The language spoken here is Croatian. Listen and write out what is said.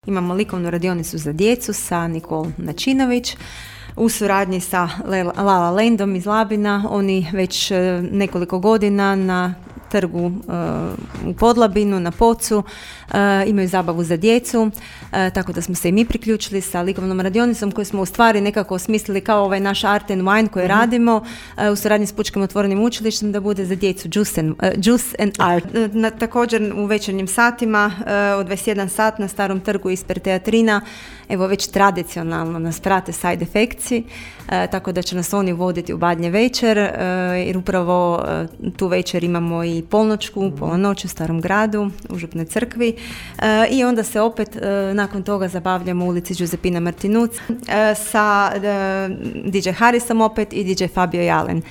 Imamo likovnu radionicu za djecu sa Nikol Načinović u suradnji sa La La Landom iz Labina. Oni već nekoliko godina na trgu u Podlabinu, na Pocu, imaju zabavu za djecu, tako da smo se i mi priključili sa likovnom radionicom koju smo u stvari nekako osmislili kao ovaj naš Art and Wine koji radimo u suradnji s Pučkim otvorenim učilištem da bude za djecu Juice and Art. Također u večernjim satima od 21 sat na Starom trgu ispred teatrina, evo već tradicionalno nas prate side efektci, tako da će nas oni voditi u Badnje večer, jer upravo tu večer imamo i pola noć u Starom gradu, u Župnoj crkvi, i onda se opet nakon toga zabavljamo u ulici Giuseppina Martinuc sa DJ Harisom opet i DJ Fabio Jalen.